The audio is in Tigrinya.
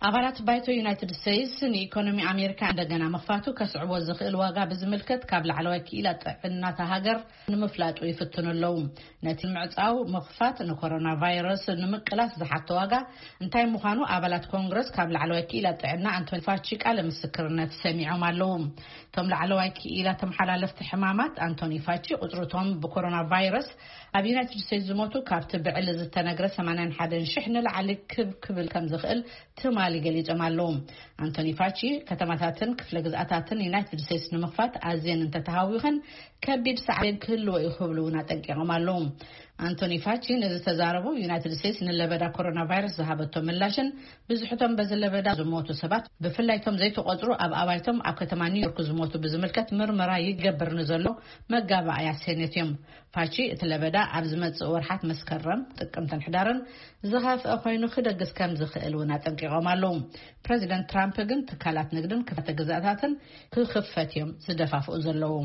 ኣባላት ባይቶ ዩናይትድ ስቴትስ ንኢኮኖሚ ኣሜሪካ እንደገና ምኽፋቱ ከስዕቦ ዝኽእል ዋጋ ብዝምልከት ካብ ላዕለዋይ ክኢላ ጥዕናታ ሃገር ንምፍላጡ ይፍትኑ ኣለዉ። ነቲ ምዕጻው ምኽፋት ንኮሮና ቫይረስ ንምቅላስ ዝሓቶ ዋጋ እንታይ ምዃኑ ኣባላት ኮንግረስ ካብ ላዕለዋይ ክኢላ ጥዕና ኣንቶኒ ፋቺ ቃለ ምስክርነት ሰሚዖም ኣለዉ። እቶም ላዕለዋይ ክኢላ ተመሓላለፍቲ ሕማማት ኣንቶኒ ፋቺ ቁጽርቶም ብኮሮና ቫይረስ ኣብ ዩናይትድ ስቴትስ ዝሞቱ ካብቲ ብዕሊ ዝተነግረ ሰማንያን ሓደን ሽሕ ንላዕሊ ክብ ክብል ከም ዝኽእል ትማሊ ገሊጾም ኣለዉ። ኣንቶኒ ፋቺ ከተማታትን ክፍለ ግዝኣታትን ዩናይትድ ስቴትስ ንምኽፋት ኣዝየን እንተተሃዊኸን ከቢድ ሳዕቤን ክህልዎ እዩ ክብሉ እውን ኣጠንቂቖም ኣለዉ። ኣንቶኒ ፋቺ ነዚ ተዛረቡ ዩናይትድ ስቴትስ ንለበዳ ኮሮና ቫይረስ ዝሃበቶ ምላሽን ብዙሕቶም በዚ ለበዳ ዝሞቱ ሰባት ብፍላይቶም ዘይተቆጽሩ ኣብ ኣባይቶም ኣብ ከተማ ኒውዮርክ ዝሞቱ ብዝምልከት ምርመራ ይገብር ንዘሎ መጋባእያ ሴኔት እዮም። ፋቺ እቲ ለበዳ ኣብ ዝመጽእ ወርሓት መስከረም ጥቅምትን ሕዳርን ዝኸፍአ ኮይኑ ክደግስ ከም ዝኽእል እውን ኣጠንቂቖም ኣለዉ። ፕረዚደንት ትራምፕ ግን ትካላት ንግድን ክፍተ ግዛታትን ክኽፈት እዮም ዝደፋፍኡ ዘለዉ።